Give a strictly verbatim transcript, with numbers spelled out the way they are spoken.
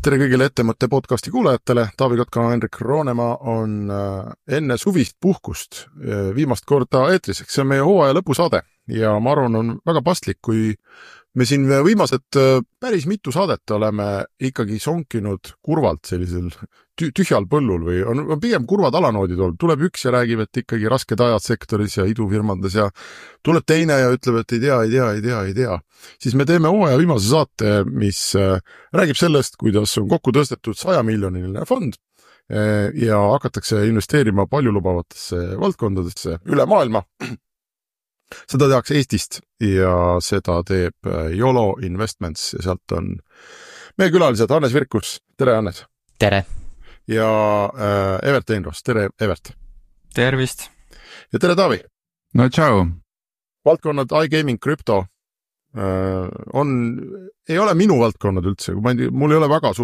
tere kõigile Ettemõtte podcasti kuulajatele. Taavi Kotka, Henrik Roonemaa on enne suvist puhkust viimast korda eetriseks. See on meie hooaja lõpusaade ja ma arvan, on väga paslik, kui me siin viimased päris mitu saadet oleme ikkagi sonkinud kurvalt sellisel tühjal põllul või on pigem kurvad alanoodid olnud. Tuleb üks ja räägib, et ikkagi rasked ajad sektoris ja idufirmades ja tuleb teine ja ütleb, et ei tea, ei tea, ei tea, ei tea. Siis me teeme hooaja viimase saate, mis räägib sellest, kuidas on kokku tõstetud saja miljoniline fond ja hakatakse investeerima paljulubavatesse valdkondadesse üle maailma. Seda tehakse Eestist ja seda teeb YOLO Investments ja sealt on meie külalised Hannes Virkus. Tere, Hannes. Tere. Ja äh, Evert Einros. Tere, Evert. Tervist. Ja tere, Taavi. No tšau. Valdkonnad iGaming, krypto äh, on, ei ole minu valdkonnad üldse. Ma ei, mul ei ole väga suurt